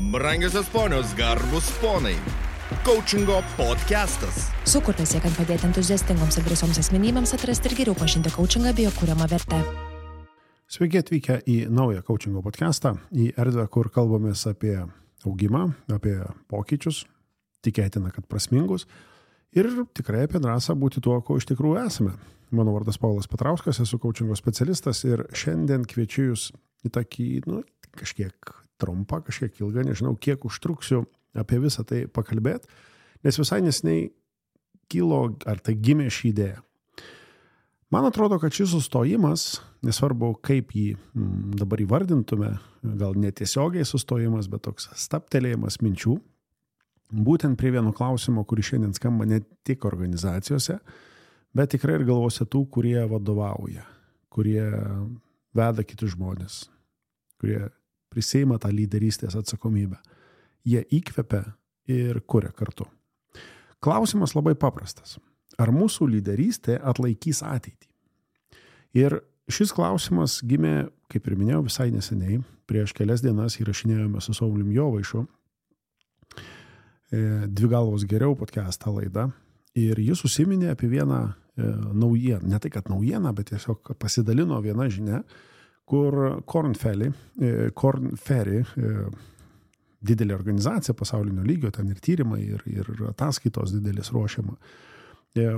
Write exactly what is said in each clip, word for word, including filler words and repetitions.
Brangiosios ponios, garbus ponai. Coachingo podcastas. Sukurtas siekiant padėti entuziastingoms ir drąsioms asmenybėms atrasti ir geriau pažinti coachingą bei jo kuriamą vertę. Sveiki atvykę į naują coachingo podcastą, į erdvę, kur kalbamės apie augimą, apie pokyčius, tikėtina, kad prasmingus, ir tikrai apie drąsą būti tuo, ko iš tikrųjų esame. Mano vardas Paulas Petrauskas, esu coachingo specialistas ir šiandien kviečiu jūs į tokį, nu, kažkiek trumpą, kažkiek ilgą, nežinau, kiek užtruksiu apie visą tai pakalbėti, nes visai neseniai kilo, ar tai gimė ši idėja. Man atrodo, kad šis sustojimas, nesvarbu kaip jį m, dabar įvardintume, gal netiesiogiai sustojimas, bet toks staptelėjimas minčių, būtent prie vieno klausimo, kuris šiandien skamba ne tik organizacijose, bet tikrai ir galvose tų, kurie vadovauja, kurie veda kitus žmonės, kurie prisiima tą lyderystės atsakomybę. Jie įkvepia ir kuria kartu. Klausimas labai paprastas. Ar mūsų lyderystė atlaikys ateitį? Ir šis klausimas gimė, kaip ir minėjau, visai neseniai. Prieš kelias dienas įrašinėjome su Saulium Jovaišu Dvi galvos geriau podcastą laidą. Ir jis užsiminė apie vieną naujieną. Ne tai, kad naujieną, bet tiesiog pasidalino vieną žinią, kur Korn Ferry, Korn Ferry, didelė organizacija pasaulinio lygio, ten ir tyrimai, ir, ir ataskaitos didelis ruošiama,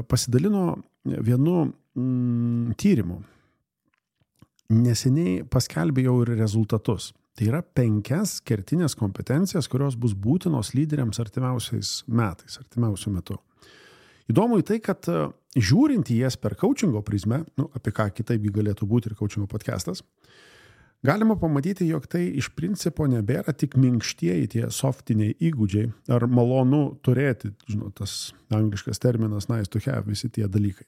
pasidalino vienu mm, tyrimu. Neseniai paskelbė jau ir rezultatus. Tai yra penkias kertinės kompetencijas, kurios bus būtinos lyderiams artimiausiais metais, artimiausiu metu. Įdomu į tai, kad žiūrint į jas per coachingo prizmę, nu, apie ką kitaip galėtų būti ir coachingo podcastas, galima pamatyti, jog tai iš principo nebėra tik minkštieji tie softiniai įgūdžiai ar malonu turėti, žinot, tas angliškas terminas nice to have, visi tie dalykai.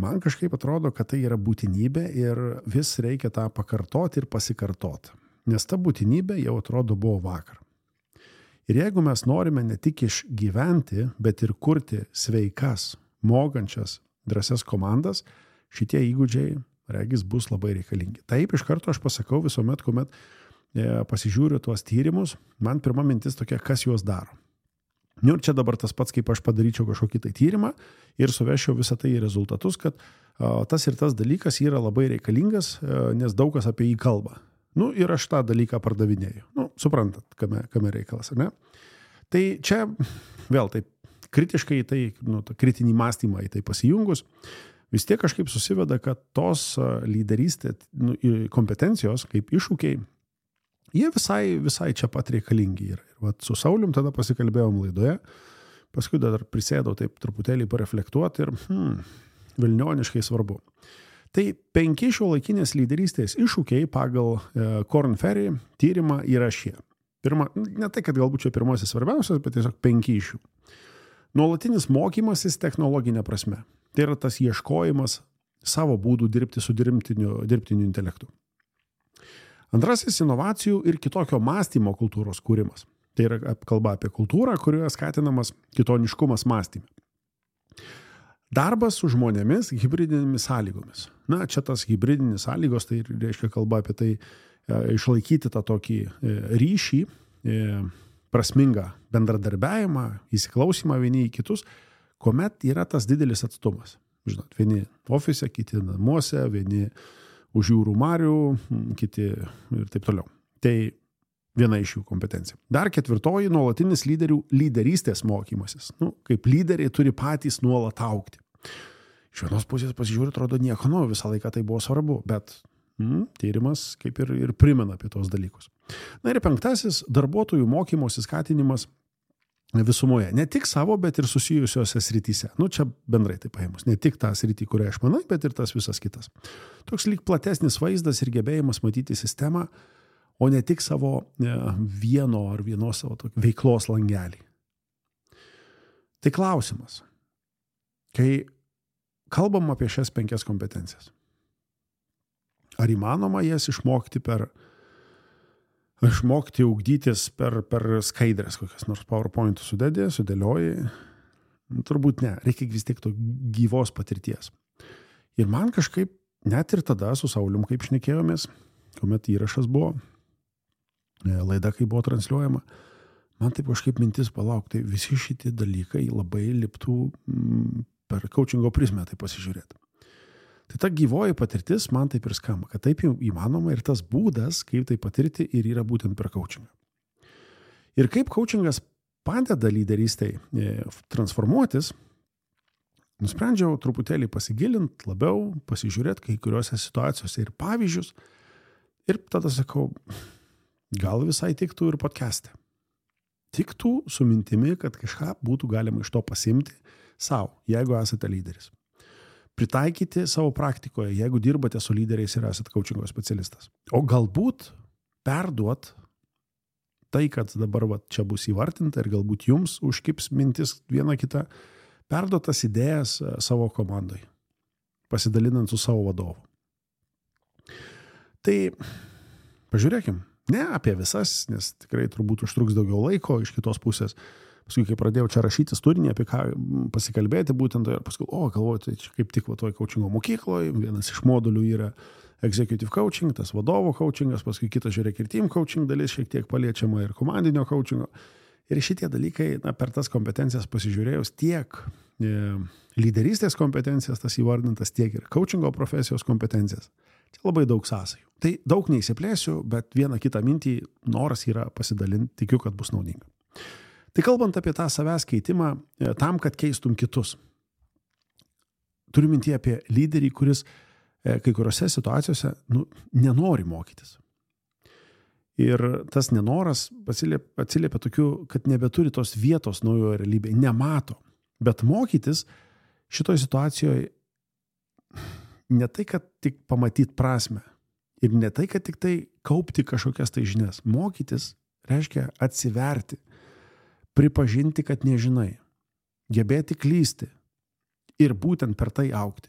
Man kažkaip atrodo, kad tai yra būtinybė ir vis reikia tą pakartoti ir pasikartoti, nes ta būtinybė jau atrodo buvo vakar. Ir jeigu mes norime ne tik išgyventi, bet ir kurti sveikas, mokančias, drąsias komandas, šitie įgūdžiai, regis, bus labai reikalingi. Taip, iš karto aš pasakau visuomet, kuomet e, pasižiūriu tuos tyrimus, man pirma mintis tokia, kas juos daro. Nu, ir čia dabar tas pats, kaip aš padaryčiau kažkokį tai tyrimą ir suvešiau visą tai į rezultatus, kad a, tas ir tas dalykas yra labai reikalingas, a, nes daug kas apie jį kalba. Nu, ir aš tą dalyką pardavinėju. Nu, suprantat, kame, kame reikalas, ar ne? Tai čia vėl taip kritiškai į tai, nu, tą kritinį mąstymą į tai pasijungus, vis tiek kažkaip susiveda, kad tos lyderystė, nu, kompetencijos kaip iššūkiai, jie visai, visai čia pat reikalingi yra. Ir vat su Saulium tada pasikalbėjom laidoje, paskui dar prisėdau taip truputėlį pareflektuoti ir hmm, vilnioniškai svarbu. Tai penki šiuolaikinės lyderystės iššūkiai pagal e, Korn Ferry tyrimą yra šie. Pirma, ne tai, kad galbūt čia pirmasis svarbiausias, bet tiesiog penki iš jų. Nuolatinis mokymasis technologinė prasme. Tai yra tas ieškojimas savo būdų dirbti su dirbtiniu, dirbtiniu intelektu. Antrasis – inovacijų ir kitokio mąstymo kultūros kūrimas. Tai yra kalba apie kultūrą, kurioje skatinamas kitoniškumas mąstyme. Darbas su žmonėmis hibridinėmis sąlygomis. Na, čia tas hibridinis sąlygos, tai reiškia kalba apie tai e, išlaikyti tą tokį e, ryšį, e, prasmingą bendradarbiavimą, įsiklausymą vieni į kitus, kuomet yra tas didelis atstumas. Žinot, vieni ofise, kiti namuose, vieni už jūrų marių, kiti ir taip toliau. Tai viena iš jų kompetencija. Dar ketvirtoji – nuolatinis lyderių lyderystės mokymasis. Nu, kaip lyderiai turi patys nuolat augti. Iš vienos pusės pasižiūrė, atrodo nieko, nu, visą laiką tai buvo svarbu, bet mm, tyrimas kaip ir, ir primena apie tos dalykus. Na ir penktasis – darbuotojų mokymosi skatinimas visumoje. Ne tik savo, bet ir susijusiose srityse. Nu, čia bendrai tai paėmus. Ne tik tą sritį, kurią aš manai, bet ir tas visas kitas. Toks lyg platesnis vaizdas ir gebėjimas matyti sistemą, o ne tik savo vieno ar vienos savo veiklos langelį. Tai klausimas. Kai kalbam apie šias penkias kompetencijas, ar įmanoma jas išmokti per, išmokti ugdytis per, per skaidrės, kokias nors PowerPoint sudėdė, sudėlioji? Turbūt ne, reikia vis tiek to gyvos patirties. Ir man kažkaip, net ir tada su Saulium, kaip šnekėjomės, kuomet įrašas buvo, laida, kai buvo transliuojama, man taip kažkaip mintis palaukti, visi šitie dalykai labai liptų mm, per coachingo prizmę tai pasižiūrėti. Tai ta gyvoji patirtis man taip ir skamba, kad taip jau įmanoma ir tas būdas, kaip tai patirti, ir yra būtent per coachingą. Ir kaip coachingas padeda lyderystei transformuotis, nusprendžiau truputėlį pasigilinti labiau, pasižiūrėti kai kuriuose situacijose ir pavyzdžius. Ir tada sakau, gal visai tiktų ir podcast'e. Tiktų su mintimi, kad kažką būtų galima iš to pasimti savo, jeigu esate lyderis. Pritaikyti savo praktikoje, jeigu dirbate su lyderiais ir esate coachingo specialistas. O galbūt perduot tai, kad dabar va, čia bus įvartinta ir galbūt jums užkips mintis viena kita, perduot tas idėjas savo komandai, pasidalinant su savo vadovu. Tai pažiūrėkim, ne apie visas, nes tikrai turbūt užtruks daugiau laiko iš kitos pusės. Paskui, kai pradėjau čia rašytis turinį, apie ką pasikalbėti būtent, ir paskui, o, galvoju, tai čia kaip tik va toj coachingo mokykloje, vienas iš modulių yra executive coaching, tas vadovo coachingas, paskui kitas žiūrėk ir team coaching dalis, šiek tiek paliečiama ir komandinio coachingo. Ir šitie dalykai, na, per tas kompetencijas pasižiūrėjus, tiek e, lyderystės kompetencijas, tas įvardintas, tiek ir coachingo profesijos kompetencijas. Čia labai daug sąsajų. Tai daug neįsiplėsiu, bet vieną kitą mintį noras yra pasidalinti, tikiu, kad bus naudinga. Tai kalbant apie tą savęs keitimą, tam, kad keistum kitus. Turiu mintį apie lyderį, kuris kai kuriuose situacijose nu, nenori mokytis. Ir tas nenoras atsiliepia, atsiliepia tokiu, kad nebeturi tos vietos naujoje realybėje, nemato. Bet mokytis šitoje situacijoje ne tai, kad tik pamatyti prasmę ir ne tai, kad tik tai kaupti kažkokias tai žinias. Mokytis reiškia atsiverti, pripažinti, kad nežinai, gebėti klysti ir būtent per tai augti.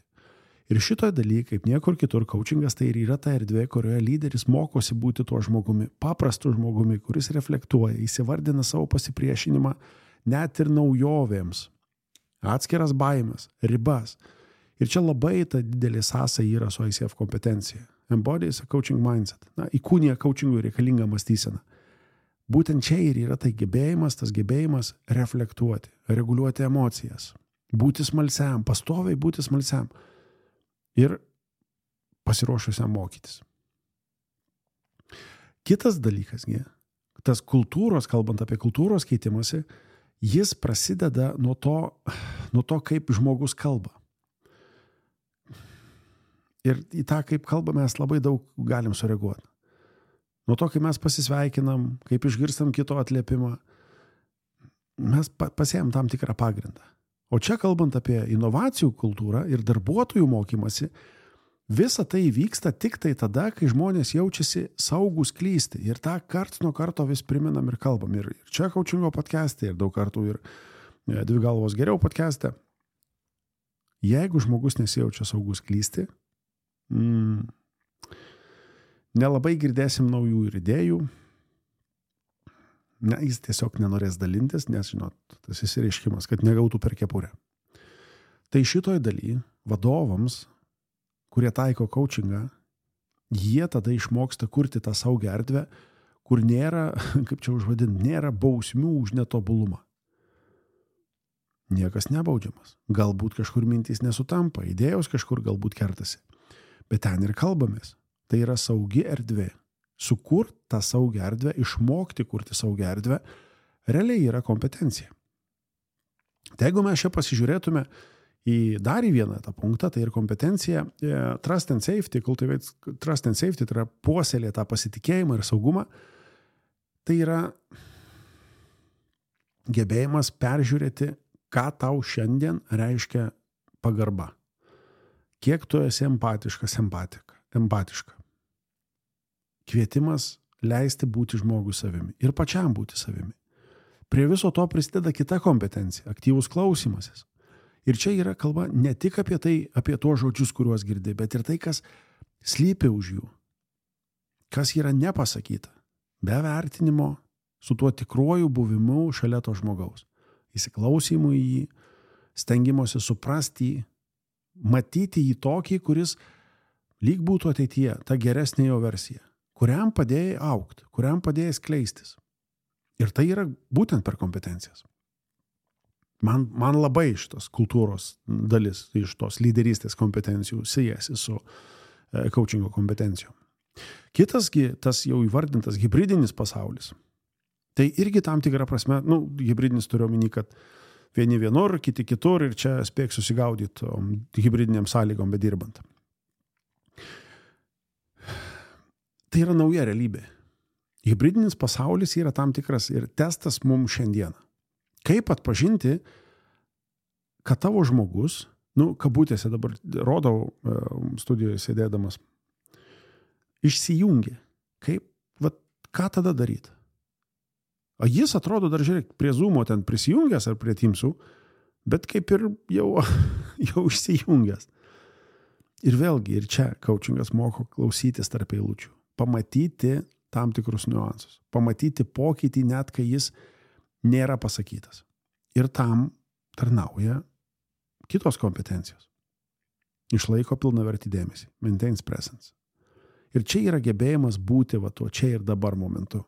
Ir šitoje dalyje, kaip niekur kitur, coachingas tai ir yra ta erdvė, kurioje lyderis mokosi būti tuo žmogumi, paprastu žmogumi, kuris reflektuoja, įsivardina savo pasipriešinimą net ir naujovėms, atskiras baimės, ribas. Ir čia labai ta didelė sąsaja yra su I C F kompetencija. Embodies a coaching mindset. Na, įkūnija coachingui reikalingą mąstyseną. Būtent čia ir yra tai gebėjimas, tas gebėjimas reflektuoti, reguliuoti emocijas, būti smalsiam, pastoviai būti smalsiam ir pasiruošusiam mokytis. Kitas dalykas, tas kultūros, kalbant apie kultūros keitimąsi, jis prasideda nuo to, nuo to, kaip žmogus kalba. Ir į tą, kaip kalba, mes labai daug galim sureaguoti. Nuo to, kai mes pasisveikinam, kaip išgirstam kito atliepimą, mes pasiejam tam tikrą pagrindą. O čia kalbant apie inovacijų kultūrą ir darbuotojų mokymasi, visa tai vyksta tik tai tada, kai žmonės jaučiasi saugus klysti. Ir tą karts nuo karto vis priminam ir kalbam. Ir čia coachingo podcast'e, ir daug kartų ir Dvi galvos geriau podcast'e. Jeigu žmogus nesijaučia saugus klysti, mm, nelabai girdėsim naujų ir idėjų. Ne, jis tiesiog nenorės dalintis, nes, žinot, tas įsireiškimas, kad negautų per kepurę. Tai šitoj daly vadovams, kurie taiko coachingą, jie tada išmoksta kurti tą saugią erdvę, kur nėra, kaip čia užvadinti, nėra bausmių už netobulumą. Niekas nebaudžiamas. Galbūt kažkur mintys nesutampa, idėjos kažkur galbūt kertasi. Bet ten ir kalbamės. Tai yra saugi erdvė. Sukurti tą saugią erdvę, išmokti kurti saugią erdvę, realiai yra kompetencija. Tai jeigu mes čia pasižiūrėtume į dar į vieną tą punktą, tai ir kompetencija, trust and safety, cultivate trust and safety, tai yra puoselė tą pasitikėjimą ir saugumą, tai yra gebėjimas peržiūrėti, ką tau šiandien reiškia pagarba. Kiek tu esi empatiškas, empatika, empatiška. Kvietimas leisti būti žmogui savimi ir pačiam būti savimi. Prie viso to prisideda kita kompetencija, aktyvus klausymasis. Ir čia yra kalba ne tik apie tai, apie tuos žodžius, kuriuos girdi, bet ir tai, kas slypi už jų. Kas yra nepasakyta, be vertinimo, su tuo tikruoju buvimu šalia to žmogaus. Įsiklausymu į jį, stengimosi suprasti jį, matyti jį tokį, kuris lyg būtų ateityje, ta geresnė jo versija. kuriam padėjai augti, kuriam padėjai skleistis. Ir tai yra būtent per kompetencijas. Man, man labai šitos kultūros dalis, iš tos lyderystės kompetencijų siejasi su e, coachingo kompetencijom. Kitasgi, tas jau įvardintas hybridinis pasaulis, tai irgi tam tikrą prasme, nu, hybridinis turiu omeny, kad vieni vienur, kiti kitur ir čia spėk susigaudyti hybridiniam sąlygom bedirbant. Tai yra nauja realybė. Hybridinis pasaulis yra tam tikras ir testas mums šiandieną. Kaip atpažinti, kad tavo žmogus, nu, kabutėse dabar rodau studijoje sėdėdamas, išsijungia. Kaip, vat, ką tada daryti? O jis atrodo dar, žiūrėk, prie Zoomo ten prisijungęs ar prie Teamsų, bet kaip ir jau, jau išsijungęs. Ir vėlgi, ir čia coachingas moko klausytis tarp eilučių. Pamatyti tam tikrus niuansus. Pamatyti pokytį net, kai jis nėra pasakytas. Ir tam tarnauja kitos kompetencijos. Išlaiko pilnavertį dėmesį. Maintains presence. Ir čia yra gebėjimas būti va tuo čia ir dabar momentu.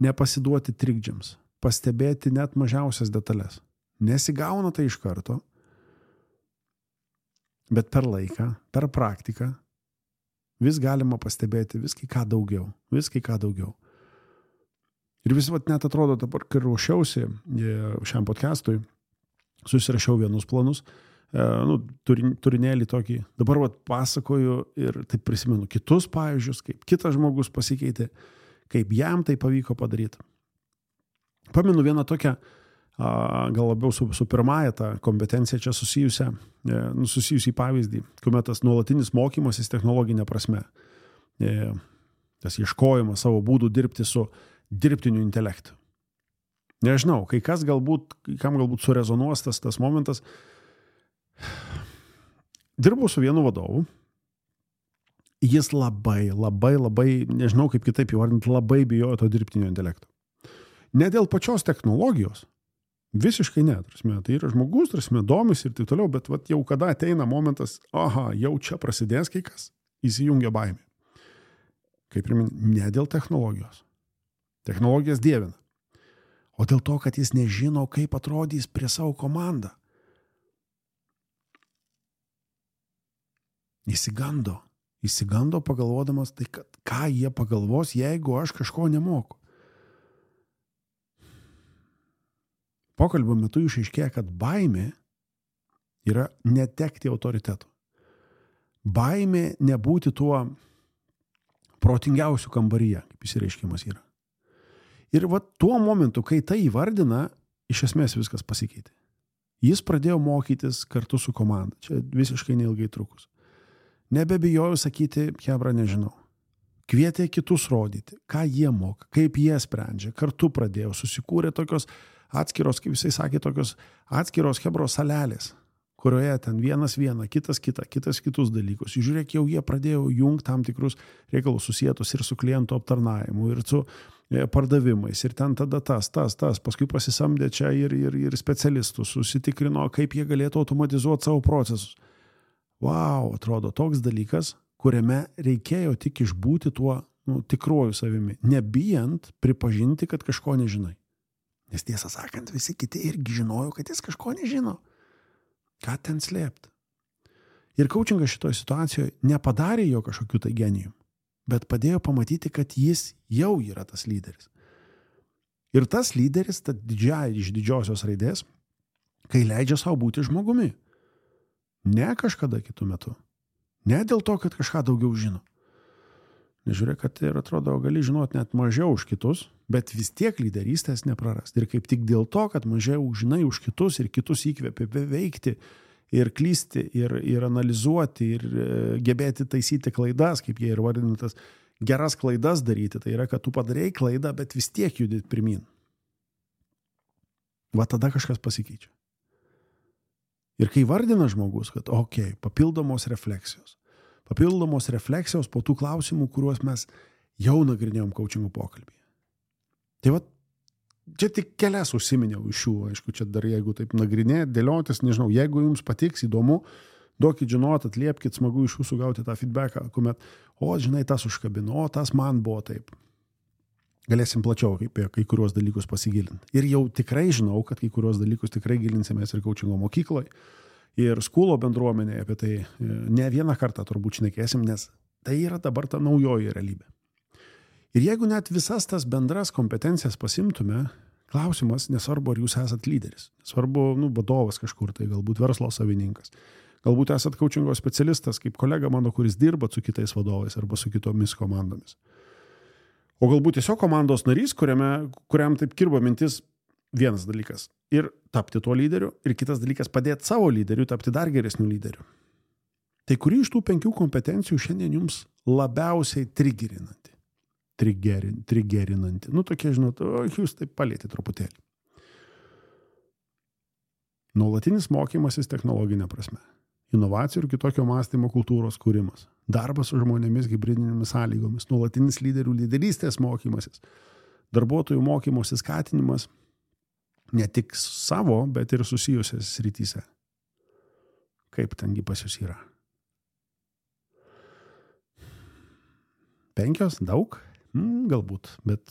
Nepasiduoti trikdžiams. Pastebėti net mažiausias detalės. Nesigauna tai iš karto, bet per laiką, per praktiką vis galima pastebėti vis kai ką daugiau. Vis kai ką daugiau. Ir vis vat net atrodo dabar, kai ruošiausi šiam podcastui, susirašiau vienus planus, e, nu, turin, turinėlį tokį, dabar vat pasakoju ir taip prisimenu kitus pavyzdžius, kaip kitas žmogus pasikeitė, kaip jam tai pavyko padaryti. Pamenu vieną tokią, a, gal labiau su, su pirmąja tą kompetenciją čia susijusią, e, nu, susijusį pavyzdį, kuomet tas nuolatinis mokymasis technologinė prasme, e, tas ieškojimas savo būdų dirbti su dirbtiniu intelektu. Nežinau, kai kas galbūt, kam galbūt surezonuos tas, tas momentas. Dirbau su vienu vadovu. Jis labai, labai, labai, nežinau kaip kitaip įvardinti, labai bijojo to dirbtinio intelekto. Ne dėl pačios technologijos. Visiškai ne. Tarsi, tai yra žmogus, tarsi, domisi ir taip toliau, bet vat, jau kada ateina momentas, aha, jau čia prasidės kai kas, įsijungia baimė. Kaip ir ne dėl technologijos. Technologijas dievina. O dėl to, kad jis nežino, kaip atrodys prie savo komandą. Įsigando. Įsigando pagalvodamas, tai kad, ką jie pagalvos, jeigu aš kažko nemoku. Pokalbio metu išaiškėja, kad baimė yra netekti autoritetų. Baimė nebūti tuo protingiausiu kambaryje, kaip išsireiškimas yra. Ir va tuo momentu, kai tai įvardina, iš esmės viskas pasikeitė. Jis pradėjo mokytis kartu su komanda. Čia visiškai neilgai trukus. Nebebijoju sakyti, hebra, nežinau. Kvietė kitus rodyti, ką jie moka, kaip jie sprendžia. Kartu pradėjo, susikūrė tokios atskiros, kaip jisai sakė, tokios atskiros hebros salelės, kurioje ten vienas vieną, kitas kitą, kitas kitus dalykus. Žiūrėk, jau jie pradėjo jungti tam tikrus reikalus susietus ir su klientų aptarnavimu, ir su pardavimais, ir ten tada tas, tas, tas, paskui pasisamdė čia ir, ir, ir specialistus, susitikrino, kaip jie galėtų automatizuoti savo procesus. Vau, atrodo, toks dalykas, kuriame reikėjo tik išbūti tuo nu, tikruoju savimi, nebijant pripažinti, kad kažko nežinai. Nes tiesą sakant, visi kiti irgi žinojo, kad jis kažko nežino. Ką ten slėpti? Ir coachingas šitoje situacijoje nepadarė jo kažkokių tai genijų, bet padėjo pamatyti, kad jis jau yra tas lyderis. Ir tas lyderis, ta didžiai iš didžiosios raidės, kai leidžia savo būti žmogumi. Ne kažkada kitų metu. Ne dėl to, kad kažką daugiau žino. Nežiūrėk, kad ir atrodo, gali žinoti net mažiau už kitus, bet vis tiek lyderystės neprarast. Ir kaip tik dėl to, kad mažiau žinai už kitus ir kitus įkvėpia veikti ir klysti, ir, ir analizuoti, ir gebėti taisyti klaidas, kaip jie ir vadintas, geras klaidas daryti. Tai yra, kad tu padarėjai klaidą, bet vis tiek judėt pirmin. Va tada kažkas pasikeičia. Ir kai vardina žmogus, kad okei, okay, papildomos refleksijos. Papildomos refleksijos po tų klausimų, kuriuos mes jau nagrinėjom coachingo pokalbyje. Tai va, čia tik kelias užsiminiau iš šių, aišku, čia dar jeigu taip nagrinėt, dėliotis, nežinau, jeigu jums patiks įdomu, Duokit žinot, atliepkit, smagu iš jūsų gauti tą feedbacką, kuomet, o, žinai, tas užkabino, o, tas man buvo taip. Galėsim plačiau apie kai kuriuos dalykus pasigilinti. Ir jau tikrai žinau, kad kai kuriuos dalykus tikrai gilinsimės ir coachingo mokykloje, ir skulo bendruomenėje apie tai ne vieną kartą turbūt šnekėsim, nes tai yra dabar ta naujoji realybė. Ir jeigu net visas tas bendras kompetencijas pasimtume, klausimas, nesvarbu, ar jūs esat lyderis, nesvarbu, nu, vadovas kažkur, tai galbūt verslo savininkas, galbūt esat coachingo specialistas, kaip kolega mano, kuris dirba su kitais vadovais arba su kitomis komandomis. O galbūt tiesiog komandos narys, kuriame, kuriam taip kirba mintis vienas dalykas. Ir tapti tuo lyderiu, ir kitas dalykas padėti savo lyderiu, tapti dar geresniu lyderiu. Tai kuri iš tų penkių kompetencijų šiandien jums labiausiai trigerinanti? Trigerin, trigerinanti. Nu, tokie, žinot, o, jūs taip palėti truputėlį. Nuolatinis mokymasis technologinė prasme. Inovacijų ir kitokio mąstymo kultūros kūrimas. Darbas su žmonėmis hibridinėmis sąlygomis. Nuolatinis lyderių lyderystės mokymasis. Darbuotojų mokymosi skatinimas ne tik savo, bet ir susijusias srityse. Kaip tengi pas jūs yra? Penkios? Daug? Hmm, galbūt, bet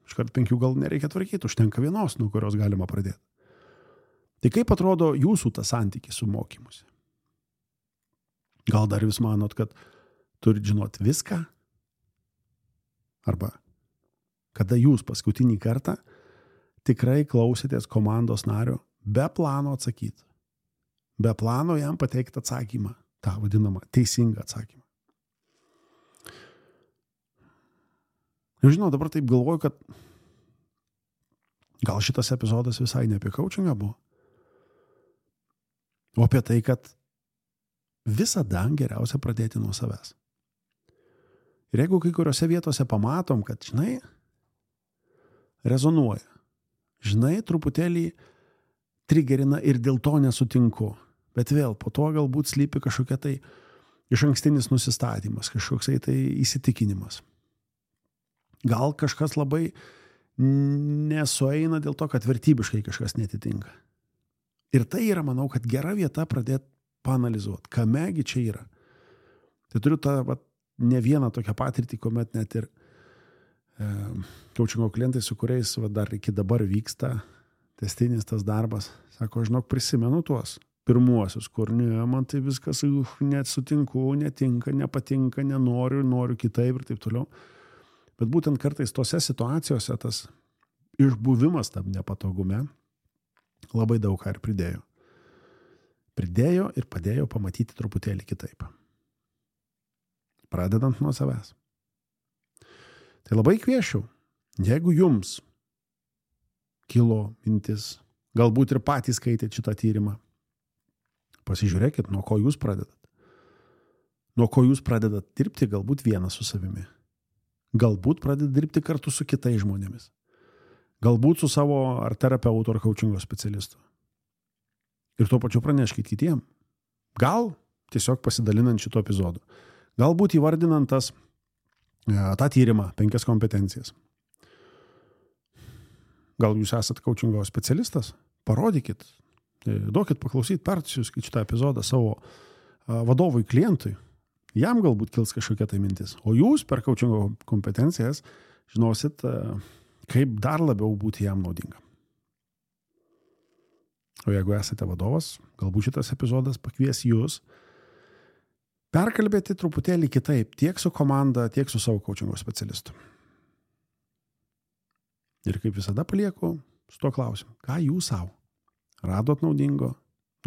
iškart penkių gal nereikia tvarkyti, užtenka vienos, nuo kurios galima pradėti. Tai kaip atrodo jūsų tas santykis su mokymusi? Gal dar vis manot, kad turit žinot viską? Arba kada jūs paskutinį kartą tikrai klausėtės komandos nario be plano atsakyti. Be plano jam pateikti atsakymą, tą vadinamą teisingą atsakymą. Ir žinau, dabar taip galvoju, kad gal šitas epizodas visai ne apie coachingą buvo, o apie tai, kad visada geriausia pradėti nuo savęs. Ir jeigu kai kuriuose vietose pamatom, kad, žinai, rezonuoja, žinai, truputėlį trigerina ir dėl to nesutinku, bet vėl po to galbūt slypi kažkokia tai išankstinis nusistatymas, kažkoksai tai įsitikinimas. Gal kažkas labai nesueina dėl to, kad vertybiškai kažkas netitinka. Ir tai yra, manau, kad gera vieta pradėti paanalizuoti, kamegi čia yra. Tai turiu tą vat, ne vieną tokią patirtį, kuomet net ir e, coachingo klientai, su kuriais vat, dar iki dabar vyksta tęstinis tas darbas, sako, žinok, prisimenu tuos pirmuosius, kur ne, man tai viskas uh, net sutinku, netinka, nepatinka, nenoriu, noriu kitaip ir taip toliau. Bet būtent kartais tose situacijose tas išbuvimas tam nepatogume labai daug ką ir pridėjo. Pridėjo ir padėjo pamatyti truputėlį kitaip. Pradedant nuo savęs. Tai labai kviečiu, jeigu jums kilo mintis, galbūt ir patys skaitėt šitą tyrimą, pasižiūrėkit, nuo ko jūs pradedat. Nuo ko jūs pradedat dirbti, galbūt vienas su savimi. Galbūt pradedat dirbti kartu su kitais žmonėmis. Galbūt su savo ar terapeutu ar coachingo specialistu. Ir tuo pačiu praneškit kitiem. Gal tiesiog pasidalinant šito epizodu. Galbūt įvardinant tas, tą tyrimą, penkias kompetencijas. Gal jūs esat coachingo specialistas? Parodykit, duokit paklausyti, persiųskit šitą epizodą savo vadovui, klientui. Jam galbūt kils kažkokia tai mintis. O jūs per coachingo kompetencijas žinosit, kaip dar labiau būti jam naudinga. O jeigu esate vadovas, galbūt šitas epizodas pakvies jūs perkalbėti truputėlį kitaip, tiek su komanda, tiek su savo coachingo specialistu. Ir kaip visada palieku su tuo klausimu, ką jūs savo radot naudingo,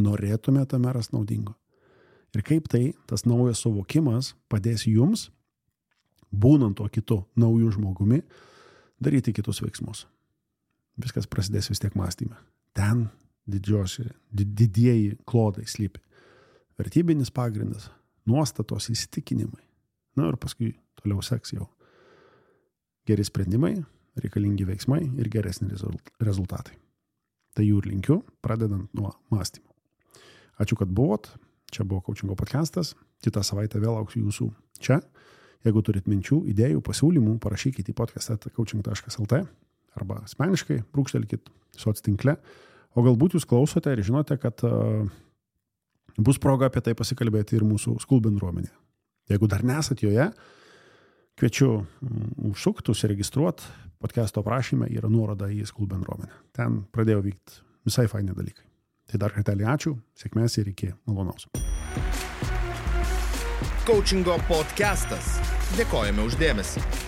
norėtumėte tame rast naudingo. Ir kaip tai, tas naujas suvokimas padės jums, būnant to kitu naujų žmogumi, daryti kitus veiksmus. Viskas prasidės vis tiek mąstyme. Ten didžiosi, didieji klodai slypi. Vertybinis pagrindas, nuostatos, įsitikinimai. Na ir paskui toliau seks jau geri sprendimai, reikalingi veiksmai ir geresni rezultatai. Tai jų ir linkiu, pradedant nuo mąstymo. Ačiū, kad buvot. Čia buvo Coachingo podcastas. Kitą savaitę vėl lauksiu jūsų čia. Jeigu turit minčių, idėjų, pasiūlymų, parašykit į podcast eta coaching taškas lt arba asmeniškai brūkštelkit soc tinkle. O galbūt jūs klausote ir žinote, kad uh, bus proga apie tai pasikalbėti ir mūsų School bendruomenė. Jeigu dar nesat joje, kviečiu užsukti, užsiregistruoti, podcast'o aprašyme yra nuoroda į School bendruomenę. Ten pradėjo vykti visai faini dalykai. Tai dar kartelį ačiū, sėkmės ir iki malonaus. Coachingo podcastas. Dėkojame už dėmesį.